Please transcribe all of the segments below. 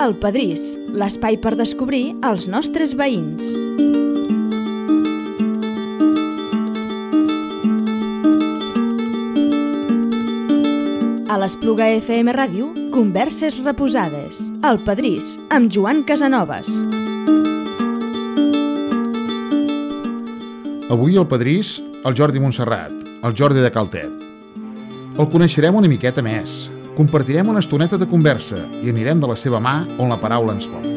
El Pedrís, l'espai per descobrir els nostres veïns. A l'Espluga FM Ràdio, converses reposades. El Pedrís, amb Joan Casanovas. Avui al Pedrís, el Jordi Montserrat, el Jordi de Caltet. El coneixerem una miqueta més, compartirem una estoneta de conversa i anirem de la seva mà on la paraula ens porti.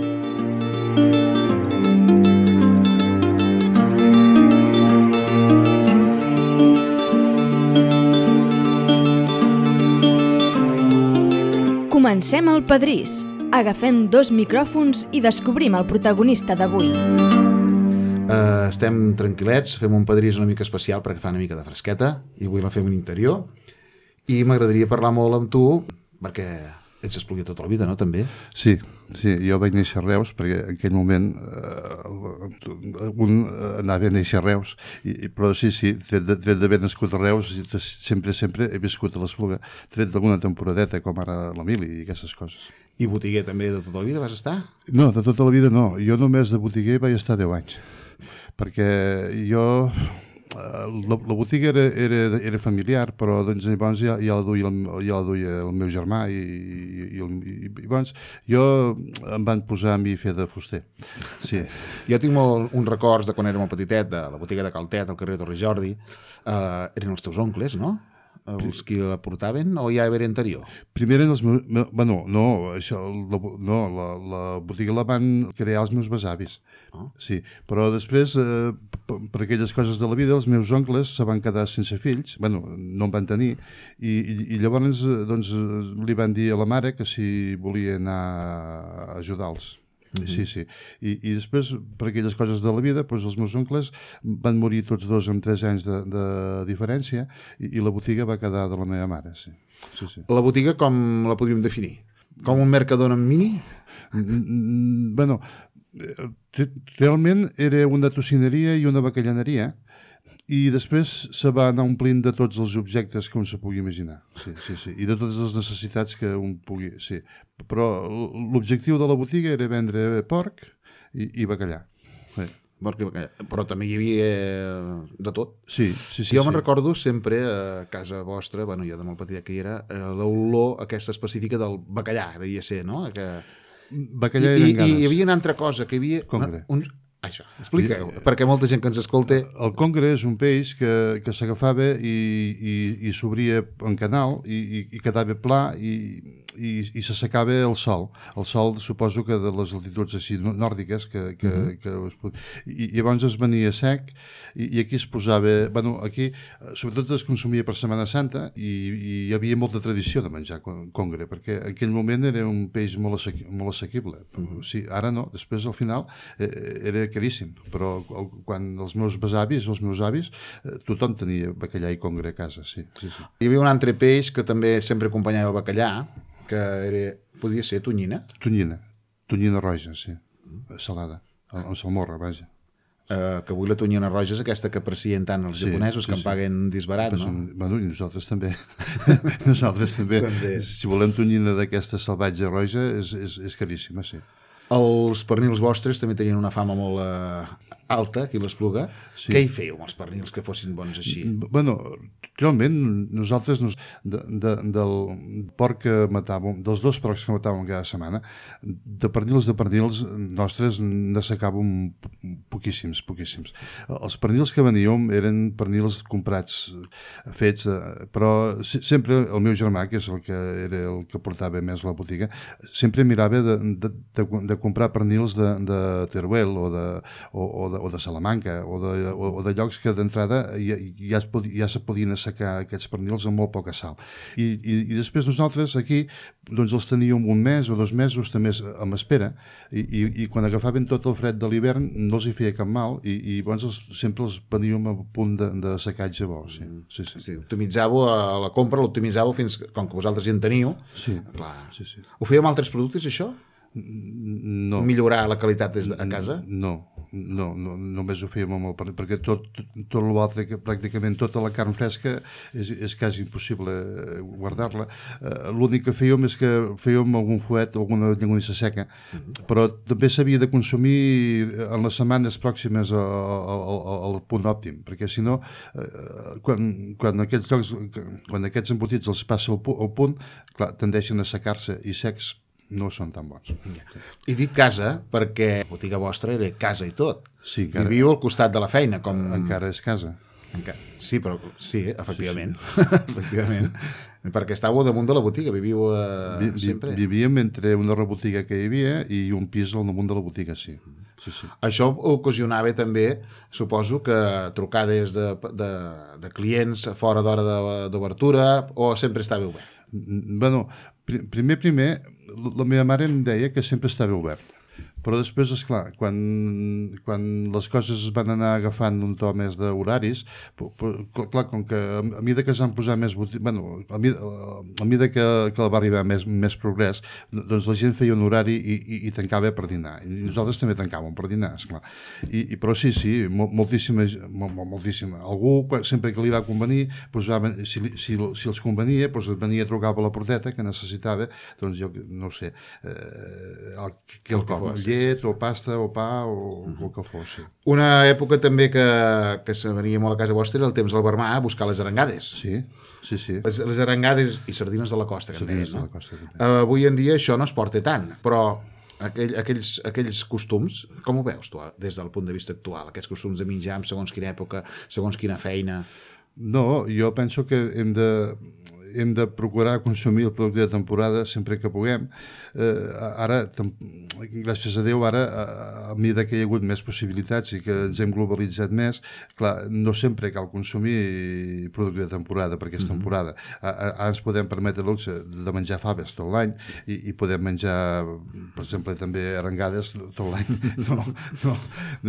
Comencem el Pedrís. Agafem 2 micròfons i descobrim el protagonista d'avui. Estem tranquil·lets, fem un Pedrís una mica especial perquè fa una mica de fresqueta i avui la fem en interior i m'agradaria parlar molt amb tu perquè ets espluguer tota la vida, no, també? Sí, jo vaig néixer a Reus perquè en aquell moment un anava a néixer a Reus, però sí, tret d'haver nascut a Reus, sempre he viscut a l'Espluga, tret d'alguna temporadeta com ara l'Emili i aquestes coses. I botiguer també de tota la vida vas estar? No, de tota la vida no, jo només de botiguer vaig estar 10 anys, perquè jo... La botiga era familiar, però doncs, llavors ja la duia el meu germà i llavors jo em van posar a mi a fer de fuster. Sí. Jo tinc uns records de quan érem petitet, de la botiga de Caltet, al carrer Torre Jordi. Eren els teus oncles, no? Els qui la portaven o ja era anterior? Primer eren els meus... Bueno, no, la botiga la van crear els meus besavis. Sí, però després, per aquelles coses de la vida, els meus oncles se van quedar sense fills, bueno, no en van tenir, i llavors doncs, li van dir a la mare que si volia anar a ajudar-los. Sí. I després, per aquelles coses de la vida, doncs els meus oncles van morir tots dos amb 3 anys de diferència i la botiga va quedar de la meva mare, sí. La botiga com la podríem definir? Com un Mercadona en mini? Bueno, realment era una tocineria i una bacallaneria i després se va anar omplint de tots els objectes que un se pugui imaginar. Sí. I de totes les necessitats que un pugui... Sí. Però l'objectiu de la botiga era vendre porc i bacallà. Sí. Però també hi havia de tot. Sí. Jo me'n recordo sempre a casa vostra, bueno, jo de molt petit que hi era, l'olor aquesta específica del bacallà, devia ser, no? Bacallà i ganes. I hi havia una altra cosa, que hi havia... Congre. Això, explica-ho, perquè molta gent que ens escolta... El congre és un peix que s'agafava i s'obria en canal i quedava pla i s'assecava al sol. El sol, suposo que de les altituds així nòrdiques i llavors es venia sec i aquí es posava... Bueno, aquí sobretot es consumia per Setmana Santa i hi havia molta tradició de menjar congre, perquè en aquell moment era un peix molt assequible. Sí, ara no, després al final era caríssim, però quan els meus besavis o els meus avis, tothom tenia bacallà i congre a casa, sí. Hi havia un altre peix que també sempre acompanyava el bacallà, que podia ser tonyina. Tonyina roja, sí, salada, amb salmorra, vaja. Que avui la tonyina roja és aquesta que aprecien tant els japonesos, que en paguen disbarat, no? Bueno, i nosaltres també. Si volem tonyina d'aquesta salvatge roja, és caríssima, sí. Els pernils vostres també tenien una fama molt alta aquí a l'Espluga. Sí. Què hi fèieu amb els pernils que fossin bons així? Bueno, realment nosaltres del porc que matàvem, dels 2 porcs que matàvem cada setmana, de pernils nostres n'assecàvem poquíssims. Els pernils que veníem eren pernils comprats, fets, però sempre el meu germà, que és el que era el que portava més la botiga, sempre mirava de comprar pernils de Teruel o de Salamanca o de llocs que d'entrada ja se podien assecar aquests pernils amb molt poca sal. I després nosaltres aquí doncs els teníem 1 mes o 2 mesos també amb espera i quan agafaven tot el fred de l'hivern no els hi feia cap mal i llavors sempre els veníem a punt d'assecatge bo. Sí. Optimitzàveu a la compra, l'optimitzàveu fins com que vosaltres ja en teniu. Sí. Clar. Ho fèieu amb altres productes, això? No. Millorar la qualitat des de a casa? No, només ho fèiem amb el pernil, perquè tot l'altre, pràcticament tota la carn fresca és quasi impossible guardar-la. L'únic que fèiem és que fèiem algun fuet, alguna llonganissa seca, però també s'havia de consumir en les setmanes pròximes al punt òptim, perquè si no, quan aquests embotits els passa al punt, clar, tendeixen a secar-se i secs no són tan bons. I dic casa perquè la botiga vostra era casa i tot. Sí, encara, viviu al costat de la feina. Encara és casa. Sí, però sí, efectivament. Sí. Efectivament. Perquè estàveu damunt de la botiga, viviu sempre. Vivíem entre una rebotiga que hi havia i un pis al damunt de la botiga, sí. Això ocasionava també, suposo, que trucades de clients fora d'hora d'obertura o sempre estava obert? Bueno, primer, la meva mare em deia que sempre estava obert. Però després, esclar, quan les coses es van anar agafant un to més d'horaris, clar, com que a mida que es van posar més a mida que va arribar més progrés, doncs la gent feia un horari i tancava per dinar. I nosaltres també tancàvem per dinar, esclar. Però sí, moltíssima. Algú, sempre que li va convenir, si els convenia, venia a trucar a la porteta que necessitava, doncs jo no ho sé, quelcom, llet o pasta o pa o el que fos. Sí. Una època també que se venia molt a casa vostra era el temps del Barmà a buscar les arengades. Sí. Les arengades i sardines de la costa, que sardines deien, no? De la costa, avui en dia això no es porta tant, però aquells costums, com ho veus tu des del punt de vista actual? Aquests costums de menjar en segons quina època, segons quina feina? No, jo penso que hem de procurar consumir el producte de temporada sempre que puguem. Ara, gràcies a Déu, a mesura que hi ha hagut més possibilitats i que ens hem globalitzat més, clar, no sempre cal consumir producte de temporada perquè és temporada. Ara ens podem permetre el luxe de menjar faves tot l'any i podem menjar, per exemple, també arengades tot l'any. No.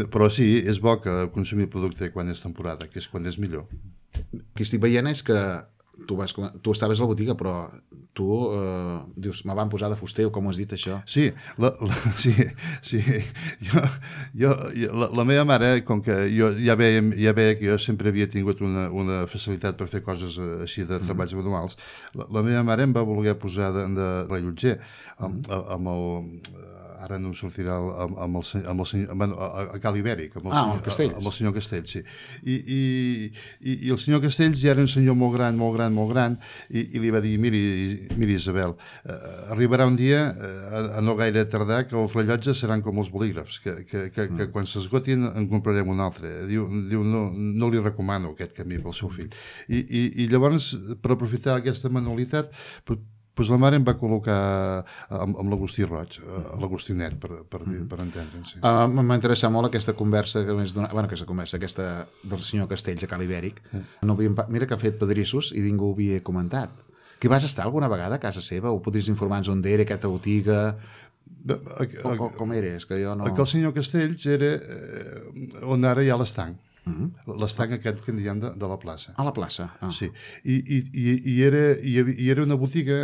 Però sí, és bo que consumir producte quan és temporada, que és quan és millor. El que estic veient és que tu estaves a la botiga, però tu dius, me van posar de fuster, o com ho has dit, això? Sí, sí. La meva mare, com que jo ja veia que jo sempre havia tingut una facilitat per fer coses així de treballs manuals, la meva mare em va voler posar de rellotger amb el... Ara no em sortirà amb el senyor, a Cal Ibèric, amb el senyor Castells, sí. I el senyor Castells ja era un senyor molt gran, i li va dir, miri Isabel, arribarà un dia, a no gaire tardar, que els rellotges seran com els bolígrafs, que quan s'esgotin en comprarem un altre. Diu no li recomano aquest camí pel seu fill. I llavors, per aprofitar aquesta manualitat, la mare em va col·locar amb l'Agustí Roig, l'Agustinet, per entendre'ns. Sí. M'ha interessat molt aquesta conversa, aquesta del senyor Castells a Cal Ibèric. Mira que ha fet pedrissos i ningú ho havia comentat. Que vas estar alguna vegada a casa seva? O podries informar-nos on era aquesta botiga? Com era? És que jo no... El senyor Castells era on ara hi ha l'estanc. L'estanc aquest que en diem de la plaça. A la plaça? Sí. I era una botiga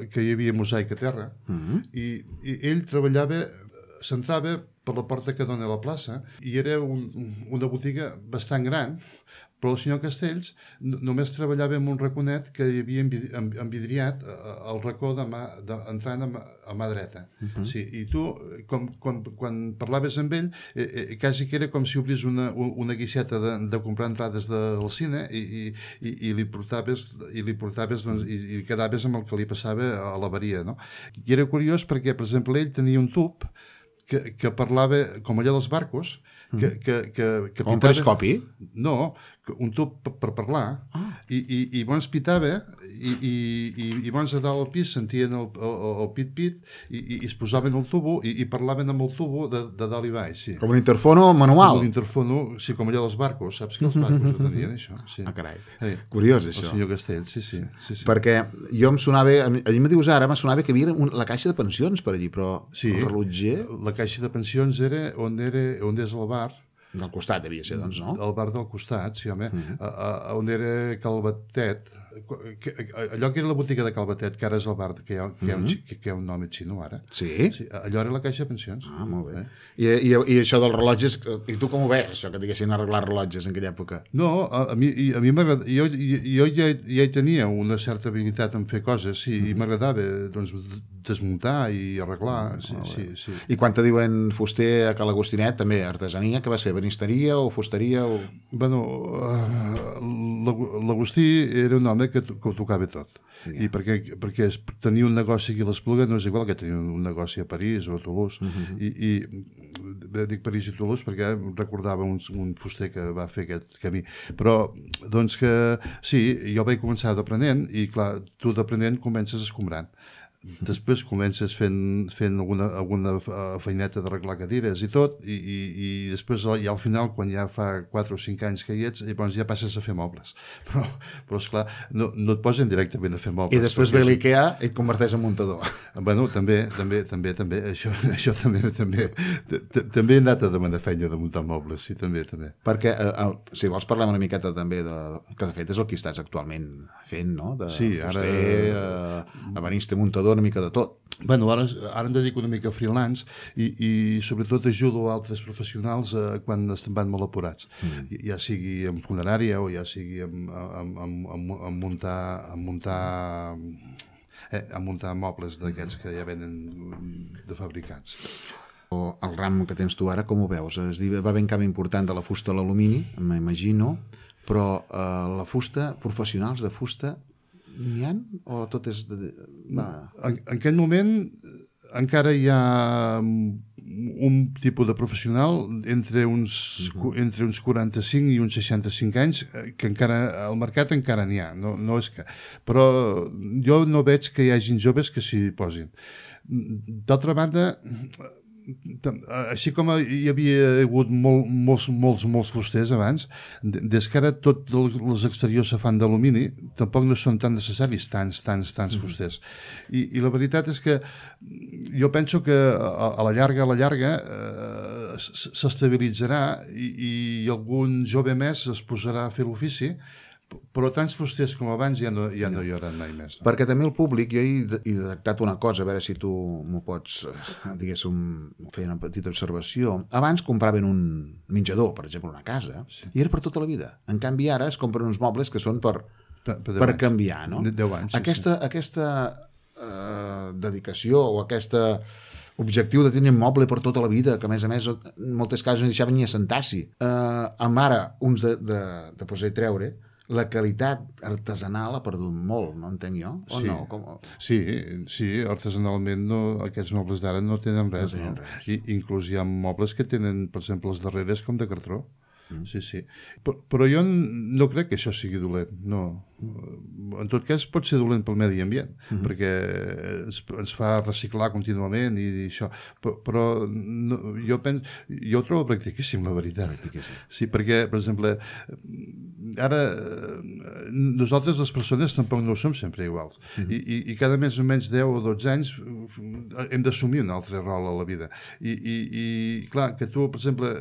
que hi havia mosaic a terra i ell s'entrava per la porta que dona a la plaça i era una botiga bastant gran, però el senyor Castells només treballava en un raconet que hi havia envidriat al racó entrant a mà dreta. Sí, i tu, quan parlaves amb ell, quasi que era com si obris una guixeta de comprar entrades del cine i li portaves i quedaves amb el que li passava a l'avaria, no? I era curiós perquè, per exemple, ell tenia un tub que parlava com allà dels barcos, que com un periscopi? No, un tub per parlar, i llavors pitava i llavors a dalt al pis sentien el pit-pit i es posaven el tubo i parlaven amb el tubo de dalt i baix, sí. Com un interfono manual? Com un interfono, sí, com allà dels barcos, saps que els barcos ho tenien, això? Sí. Carai, curiós, això. El senyor Castells, sí. Perquè jo em sonava, allí me dius ara, me sonava que hi havia la caixa de pensions per allí, però el rellotger... La caixa de pensions era on és el bar. Del costat devia ser, doncs, no? El bar del costat, sí, home. On era Calvetet, allò que era la botiga de Calvetet, que ara és el bar, que hi ha un nom xino ara. Sí? Allò era la caixa de pensions. Ah, molt bé. I això dels rellotges, i tu com ho veus, això que diguessin arreglar rellotges en aquella època? No, a mi m'agrada... Jo ja hi tenia una certa habilitat en fer coses, sí, i m'agradava doncs, desmuntar i arreglar. Sí. I quan te diuen fuster a Cal Agostinet, també artesania, que vas fer? Benisteria o fusteria? Bueno, l'Agustí era un home que ho tocava tot. I perquè tenir un negoci aquí a l'Espluga no és igual que tenir un negoci a París o a Toulouse. I dic París i Toulouse perquè recordava un fuster que va fer aquest camí. Però, doncs que sí, jo vaig començar d'aprenent i clar, tu d'aprenent comences escombrant. Després comences fent alguna feineta d'arreglar cadires i tot, i després ja al final, quan ja fa 4 o 5 anys que hi ets, llavors ja passes a fer mobles. Però esclar, no et posen directament a fer mobles. I després ve l'IKEA i et converteix en muntador. Bueno, també. Això també he anat a demanar feina de muntar mobles, sí, també. Perquè, si vols, parlem una miqueta també que de fet és el que estàs actualment fent, no? Sí, ara... ebenista, muntador, una mica de tot. Bueno, ara em dedico una mica a freelance i sobretot ajudo a altres professionals quan estan molt apurats. Ja sigui en funerària o ja sigui en muntar mobles d'aquests que ja venen de fabricats. El ram que tens tu ara, com ho veus? Va haver un canvi important de la fusta a l'alumini, m'imagino, però la fusta, professionals de fusta, n'hi ha? O tot és... En aquest moment encara hi ha un tipus de professional entre uns 45 i uns 65 anys que encara al mercat encara n'hi ha. No és que... Però jo no veig que hi hagin joves que s'hi posin. D'altra banda, així com hi havia hagut molts fusters abans, des que ara tots els exteriors se fan d'alumini, tampoc no són tan necessaris tants fusters. I la veritat és que jo penso que a la llarga s'estabilitzarà i algun jove més es posarà a fer l'ofici, però tants fusters com abans ja no hi haurà mai més. No? Perquè també el públic, jo he detectat una cosa, a veure si tu m'ho pots, diguéssim, fer una petita observació. Abans compraven un menjador, per exemple, una casa, i era per tota la vida. En canvi, ara es compren uns mobles que són per canviar, no? 10 anys, Aquesta dedicació o aquesta objectiu de tenir un moble per tota la vida, que a més en moltes casos no deixaven ni assentar-s'hi. Amb ara, uns de poder treure, la qualitat artesanal ha perdut molt, no entenc jo? O sí. No? Sí, artesanalment aquests mobles d'ara no tenen res. No? Inclús hi ha mobles que tenen, per exemple, les darreres com de cartró. Sí. Però jo no crec que això sigui dolent, no. En tot cas pot ser dolent pel medi ambient, perquè ens fa reciclar contínuament i això, però jo ho trobo practiquíssim, la veritat. Sí, perquè, per exemple, ara nosaltres les persones tampoc no som sempre iguals i cada més o menys 10 o 12 anys hem d'assumir un altre rol a la vida i clar, que tu, per exemple,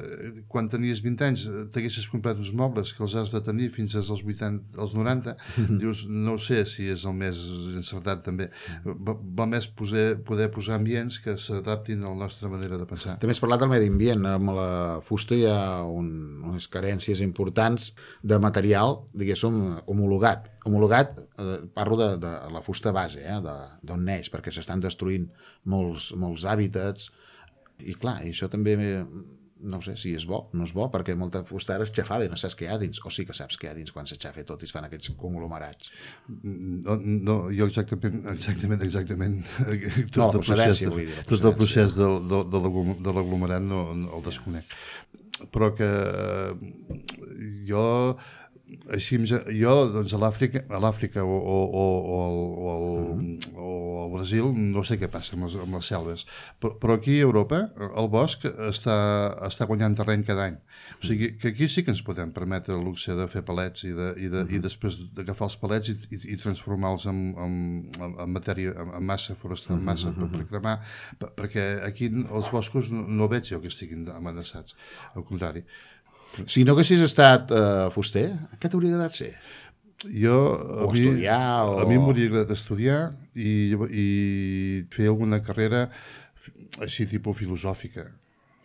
quan tenies 20 anys t'haguessis comprat uns mobles que els has de tenir fins als 80, als 90, dius, no sé si és el més encertat també. Va més poder posar ambients que s'adaptin a la nostra manera de pensar. També has parlat del medi ambient. Amb la fusta hi ha unes carències importants de material, diguéssim, homologat. Homologat, parlo de la fusta base, d'on neix, perquè s'estan destruint molts hàbitats. I clar, això també... no sé si és bo, no és bo, perquè molta fusta ara és xafada i no saps què hi ha dins, o sí que saps què hi ha dins quan s'aixafa tot i es fan aquests conglomerats. No, jo exactament tot el procés de l'aglomerat no el desconec. Però que jo doncs a l'Àfrica o al Brasil no sé què passa amb les selves, però aquí a Europa el bosc està guanyant terreny cada any, o sigui que aquí sí que ens podem permetre el luxe de fer palets i després d'agafar els palets i transformar-los en matèria, en massa forestal, en massa per cremar, perquè aquí els boscos no veig jo que estiguin amenaçats, al contrari. Si no haguessis estat fuster, què t'hauria agradat ser? estudiar, a mi m'hauria agradat estudiar i fer alguna carrera així tipus filosòfica.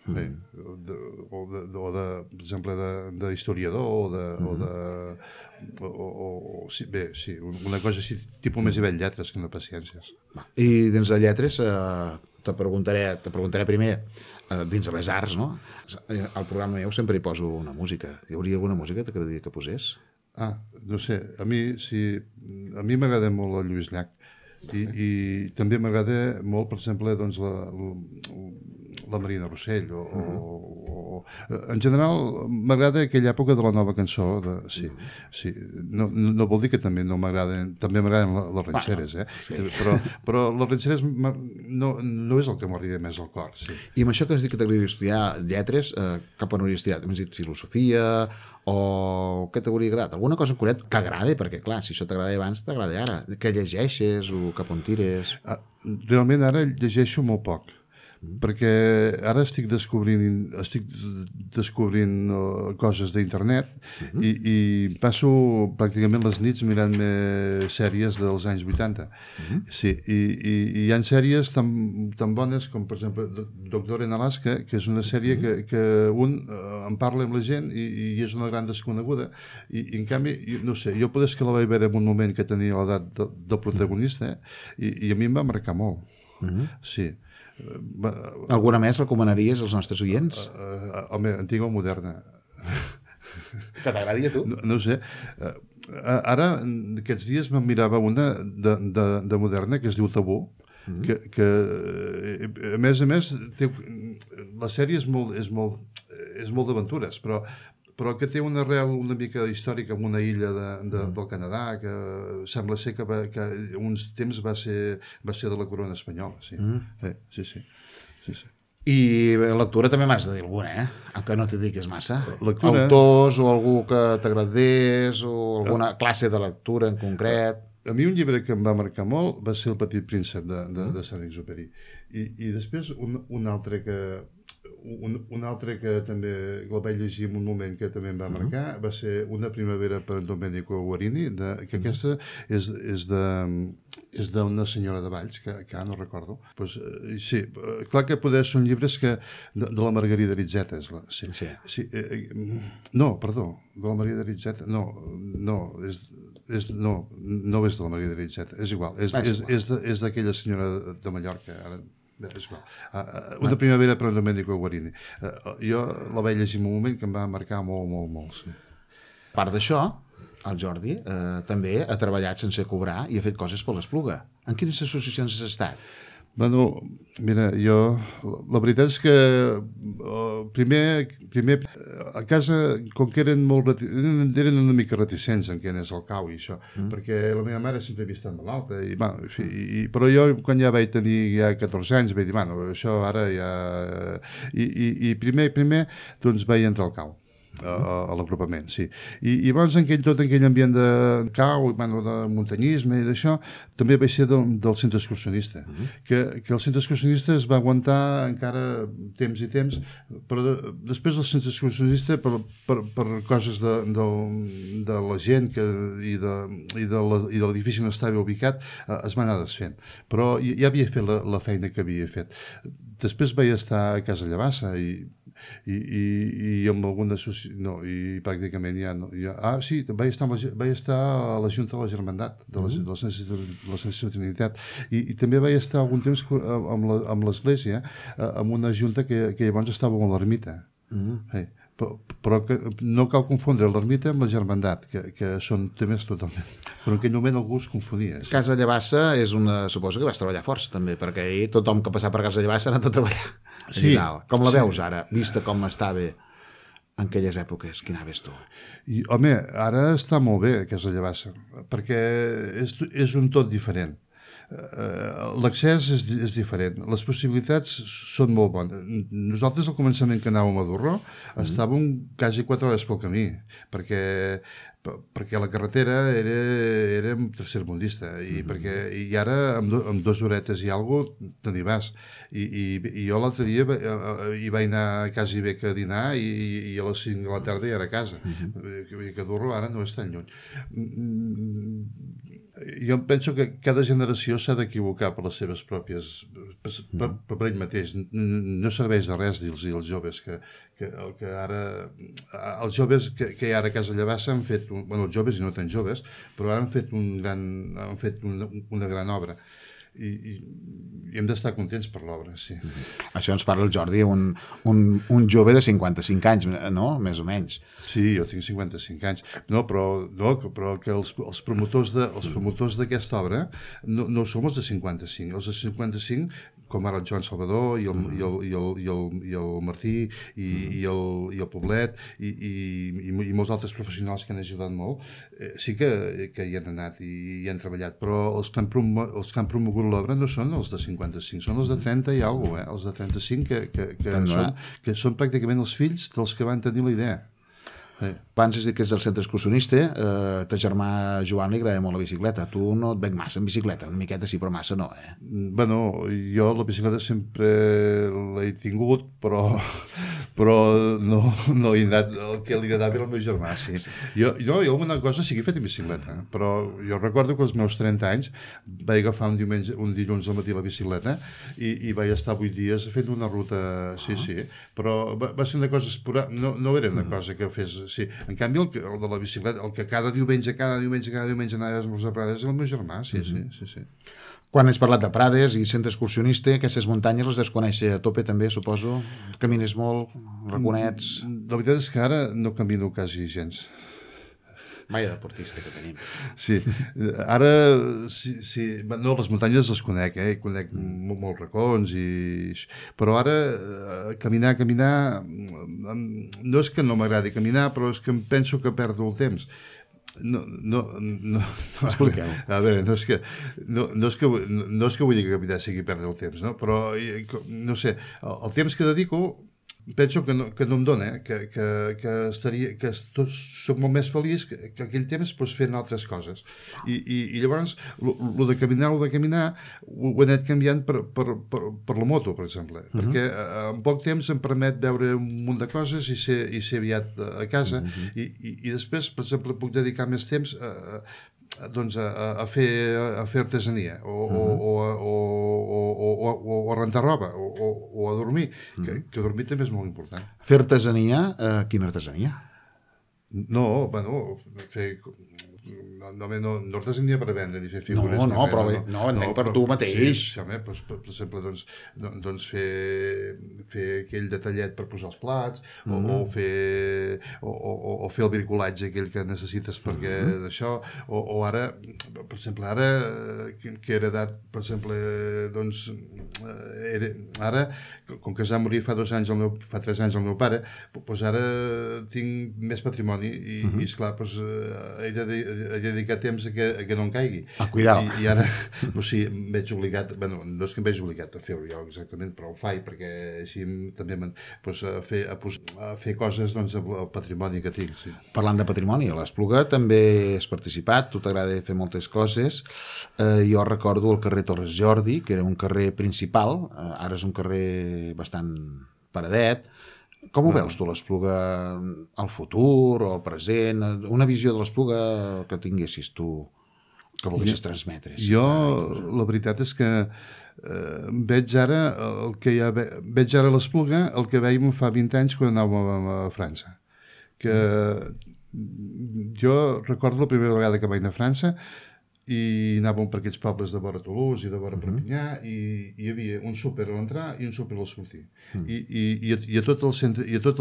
Bé, per exemple, d'historiador sí, una cosa així, tipus més nivell lletres que no pas ciències. I dins de lletres te preguntaré primer dins de les arts, no? Al programa meu sempre hi poso una música. Hi hauria alguna música que t'agradaria que posés? No sé, a mi m'agrada molt el Lluís Llach i també m'agrada molt, per exemple, doncs, la Marina Rossell en general m'agrada aquella època de la nova cançó sí. No vol dir que també no m'agraden, també m'agraden les ranxeres, però les ranxeres no és el que m'arriba més al cor. I amb això que has dit que t'agradaria estudiar lletres, cap on hauries estudiat? M'has dit filosofia o què t'hauria agradat? Alguna cosa en concret que t'agrada? Perquè clar, si això t'agrada abans, t'agrada ara. Que llegeixes o cap on tires? Realment ara llegeixo molt poc, perquè ara estic descobrint coses d'internet i passo pràcticament les nits mirant sèries dels anys 80. Sí, i hi ha sèries tan bones com, per exemple, Doctor en Alaska, que és una sèrie que un en parla amb la gent i és una gran desconeguda i en canvi, no sé, jo potser que la vaig veure en un moment que tenia l'edat del protagonista i a mi em va marcar molt. Sí. Alguna més recomanaries als nostres oients? Home, antiga o moderna. Que t'agradaria a tu? No sé. Ara, aquests dies me'n mirava una de moderna que es diu Tabú, que a més, la sèrie és molt d'aventures, però que té una arrel una mica històrica en una illa del Canadà, que sembla ser que uns temps va ser de la corona espanyola. Sí. I lectura també m'has de dir alguna, que no t'hi diguis massa. Autors o algú que t'agradés o alguna classe de lectura en concret. A mi un llibre que em va marcar molt va ser El petit príncep de Saint-Exupéry. I després un altre que també el vaig llegir en un moment que també em va marcar va ser Una primavera per Domenico Guarini, que aquesta és d'una senyora de Valls, que ara no recordo. Pues, sí, clar que poder són llibres de la Margarida Ritzeta. No, perdó, de la Margarida Ritzeta. No és de la Margarida Ritzeta, és igual, és d'aquella senyora de Mallorca, ara és igual. Una primavera per Domenico Guarini. Jo la vaig llegir en un moment que em va marcar molt. Sí. A part d'això, el Jordi també ha treballat sense cobrar i ha fet coses per l'Espluga. En quines associacions has estat? Bueno, mira, la veritat és que primer a casa, com que eren una mica reticents en què anés al cau i això, perquè la meva mare sempre havia estat malalta, però jo quan ja vaig tenir 14 anys vaig dir, bueno, això ara ja... I primer doncs vaig entrar al cau. A l'agrupament, sí. I llavors tot aquell ambient de cau, de muntanyisme i d'això, també vaig ser del centre excursionista, que el centre excursionista es va aguantar encara temps i temps, però després del centre excursionista, per coses de la gent i de l'edifici on estava ubicat, es va anar desfent. Però ja havia fet la feina que havia fet. Després vaig estar a Casa Llavassa i amb alguna i pràcticament ja no. Sí, vaig estar a la Junta de la Germandat de la Santíssima Trinitat i també vaig estar algun temps amb l'Església amb una junta que llavors estava amb l'ermita. Però no cal confondre l'ermita amb la Germandat, que són temes totalment... Però en aquell moment algú es confonia. Casa Llavassa suposo que vas treballar força també, perquè ahir tothom que passava per Casa Llavassa ha anat a treballar. Sí. Com la veus ara, vista com estava en aquelles èpoques? Quina ves tu? Home, ara està molt bé Casa Llavassa, perquè és un tot diferent. L'accés és diferent, les possibilitats són molt bones. Nosaltres al començament que anàvem a Durró estàvem quasi 4 hores pel camí, perquè perquè la carretera era tercermundista i ara amb 2 horetes i alguna cosa te n'hi vas i jo l'altre dia hi vaig anar quasi bé que a dinar i a les 5 de la tarda ja era a casa que dur-lo ara no és tan lluny. Jo penso que cada generació s'ha d'equivocar per les seves pròpies per ell mateix. No serveix de res dir-los als joves que ara els joves que hi ha ara a Casa Llavassa han fet, els joves i no tan joves, però ara han fet una gran obra i hem d'estar contents per l'obra, sí. Això ens parla el Jordi, un jove de 55 anys, no? Més o menys. Sí, jo tinc 55 anys. No, però que els promotors d'aquesta obra no som els de 55. Els de 55, com ara el Joan Salvador i el Martí i el Poblet i molts altres professionals que han ajudat molt, sí que hi han anat i hi han treballat, però els que han promogut l'obra no són els de 55, són els de 30 i alguna cosa, els de 35 que són pràcticament els fills dels que van tenir la idea. Abans has dit que és del centre excursionista, ta germà Joan li agrada molt la bicicleta. Tu no et veig massa en bicicleta, una miqueta sí, però massa no, eh? Bueno, jo la bicicleta sempre l'he tingut, però no he anat. El que li agradava era el meu germà, sí. Jo alguna cosa sí que he fet en bicicleta, però jo recordo que als meus 30 anys vaig agafar un dilluns al matí la bicicleta i vaig estar 8 dies fent una ruta, sí, però va ser una cosa esporàdica, no era una cosa que fes... Sí. En canvi, el de la bicicleta, el que cada diumenge anava a esmorzar a Prades, és el meu germà, sí. Quan has parlat de Prades i centre excursionista, aquestes muntanyes les desconèixer a tope també, suposo? Camines molt, raconets... La veritat és que ara no camino quasi gens. Vaya deportista que tenim. Sí, ara sí, no, les muntanyes les conec, conec molts racons però ara caminar no és que no m'agradi caminar, però és que em penso que perdo el temps. No. Expliqueu. A veure, no és que vull dir que caminar sigui perdre el temps, no? Però no sé, el temps que dedico penso que no em dona, que soc molt més feliç que aquell temps fent altres coses. I llavors, el de caminar ho he anat canviant per la moto, per exemple, perquè en poc temps em permet veure un munt de coses i ser aviat a casa, i després, per exemple, puc dedicar més temps a fer artesania o a rentar roba o a dormir, que dormir també és molt important. Fer artesania, quina artesania? No, fer... No artesania per vendre ni fer figures. No, entenc per tu mateix. Sí, home, per exemple, doncs fer aquell detallet per posar els plats, o fer el bricolatge aquell que necessites perquè d'això, o ara, per exemple, que he heredat, per exemple, doncs, ara, com que es va morir fa 3 anys el meu pare, doncs ara tinc més patrimoni i esclar, doncs he dedicat temps a que no em caigui. Cuidao. I ara, sí, em veig obligat, no és que em veig obligat a fer-ho jo exactament, però ho faig perquè així també a fer coses doncs al patrimoni que tinc, sí. Parlant de patrimoni, a l'Espluga també has participat, tu t'agrada fer moltes coses. Jo recordo el carrer Torres Jordi, que era un carrer principal, ara és un carrer bastant paradet. Com ho veus tu, l'Espluga, al futur o al present? Una visió de l'Espluga que tinguessis tu, que volguessis transmetre? La veritat és que veig ara a l'Espluga el que veiem fa 20 anys quan anàvem a França. Que jo recordo la primera vegada que vaig anar a França i anàvem per aquests pobles de vora Toulouse i de vora Perpinyà i hi havia un súper a l'entrar i un súper al sortir. I a tot el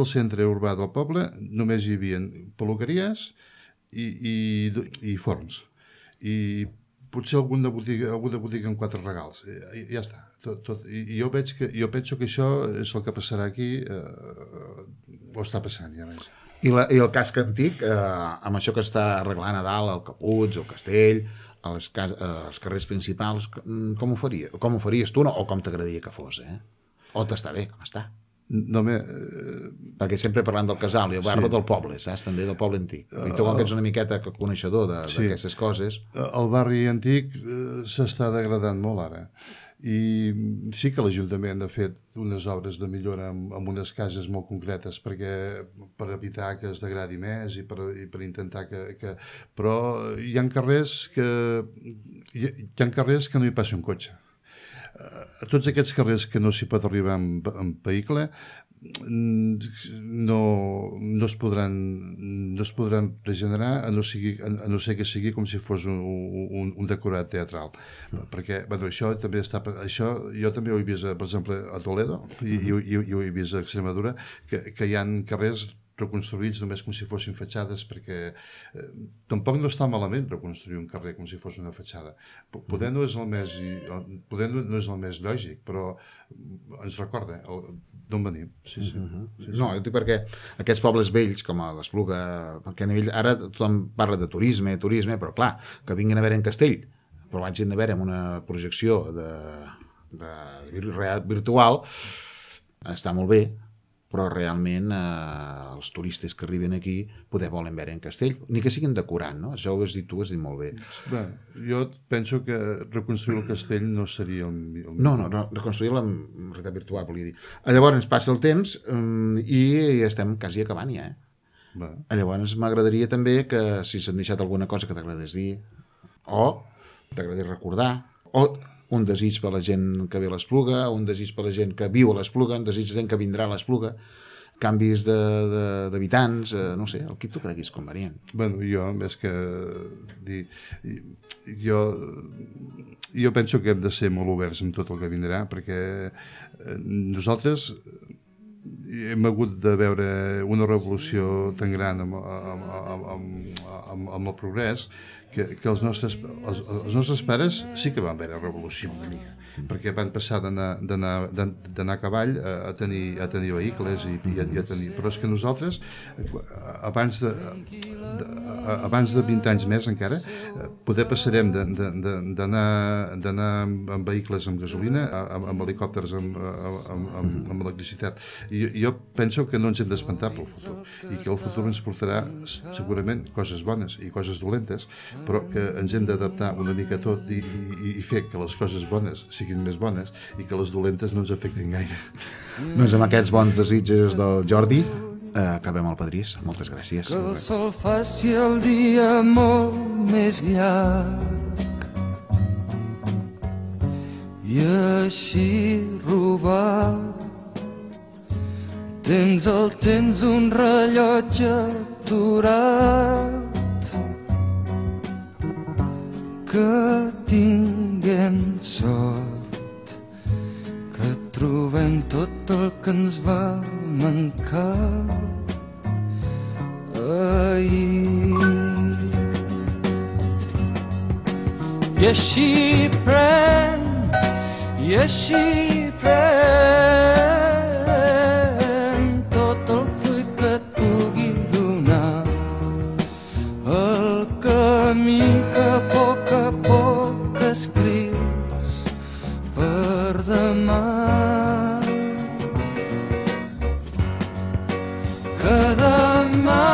centre urbà del poble només hi havia peluqueries i forns. I potser alguna botiga amb 4 regals. I ja està. I jo penso que això és el que passarà aquí, o està passant ja més. I el casc antic, amb això que està arreglant a dalt, el Caputx, el Castell, els carrers principals, com ho faries tu, o com t'agradaria que fos? O t'està bé, com està? Perquè sempre parlant del casal, jo parlo del poble, saps? També del poble antic. I tu, com que ets una miqueta coneixedor d'aquestes coses... El barri antic s'està degradant molt ara. I sí que l'Ajuntament ha fet unes obres de millora en unes cases molt concretes per evitar que es degradi més i per intentar que... Però hi ha carrers que no hi passi un cotxe. A tots aquests carrers que no s'hi pot arribar amb vehicle no es podran regenerar a no ser que sigui com si fos un decorat teatral, perquè això també jo també ho he vist, per exemple, a Toledo i ho he vist a Extremadura, que hi ha carrers reconstruïts només com si fossin fatxades, perquè tampoc no està malament reconstruir un carrer com si fos una fatxada. Poder no és el més lògic, però ens recorda d'on venim. No, jo dic perquè aquests pobles vells, com a l'Espluga, perquè a nivell... Ara tothom parla de turisme, però clar, que vinguin a veure en Castell, però vagin a veure amb una projecció virtual, està molt bé, però realment els turistes que arriben aquí poder volen veure en Castell, ni que siguin decorant, no? Això ho has dit tu, has dit molt bé. Bé, jo penso que reconstruir el castell no seria el millor. No, reconstruir-la en realitat virtual, volia dir. Llavors passe el temps i estem quasi acabant ja, Llavors m'agradaria també que si s'han deixat alguna cosa que t'agradés dir, o t'agradés recordar, o un desig per la gent que ve a l'Espluga, un desig per la gent que viu a l'Espluga, un desig de gent que vindrà a l'Espluga, canvis d'habitants, no sé, el que tu creguis convenient. Bueno, jo, més que dir... Jo penso que hem de ser molt oberts amb tot el que vindrà, perquè nosaltres hem hagut de veure una revolució tan gran amb el progrés que els nostres pares sí que van veure revolució una mica, perquè van passar d'anar a cavall a tenir vehicles i a tenir... Però és que nosaltres, abans de 20 anys més encara, poder passarem d'anar amb vehicles amb gasolina, amb helicòpters amb electricitat. I jo penso que no ens hem d'espantar pel futur, i que el futur ens portarà segurament coses bones i coses dolentes, però que ens hem d'adaptar una mica a tot i fer que les coses bones siguin més bones i que les dolentes no ens afectin gaire. Doncs amb aquests bons desitjos del Jordi acabem el Padrís. Moltes gràcies. Que el sol faci el dia molt més llarg i així robar tens el temps un rellotge aturat. Que tinguem sort, que trobem tot el que ens va mancar ahir. I així pren tot el fruit que et pugui donar, el camí que a poc escrius per demà. Que demà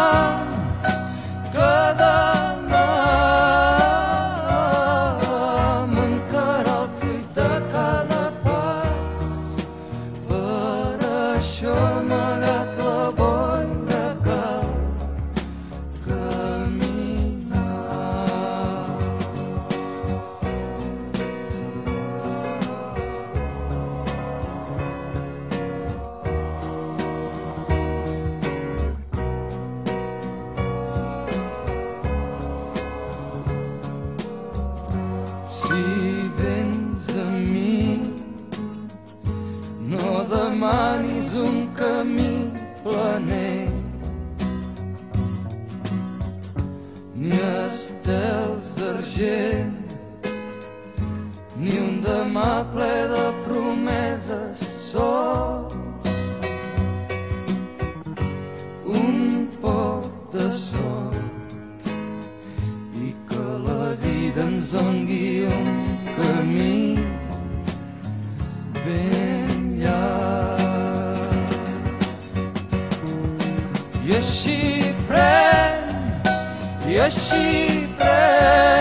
mancarà el fruit de cada pas. Per això, malgrat la boira, cal caminar. Si vens a mi, no demanis un camí planer, ni estels d'argent, ni un demà ple de promeses sols, un poc de sort i que la vida ens doni un camí ben llarg. i així pren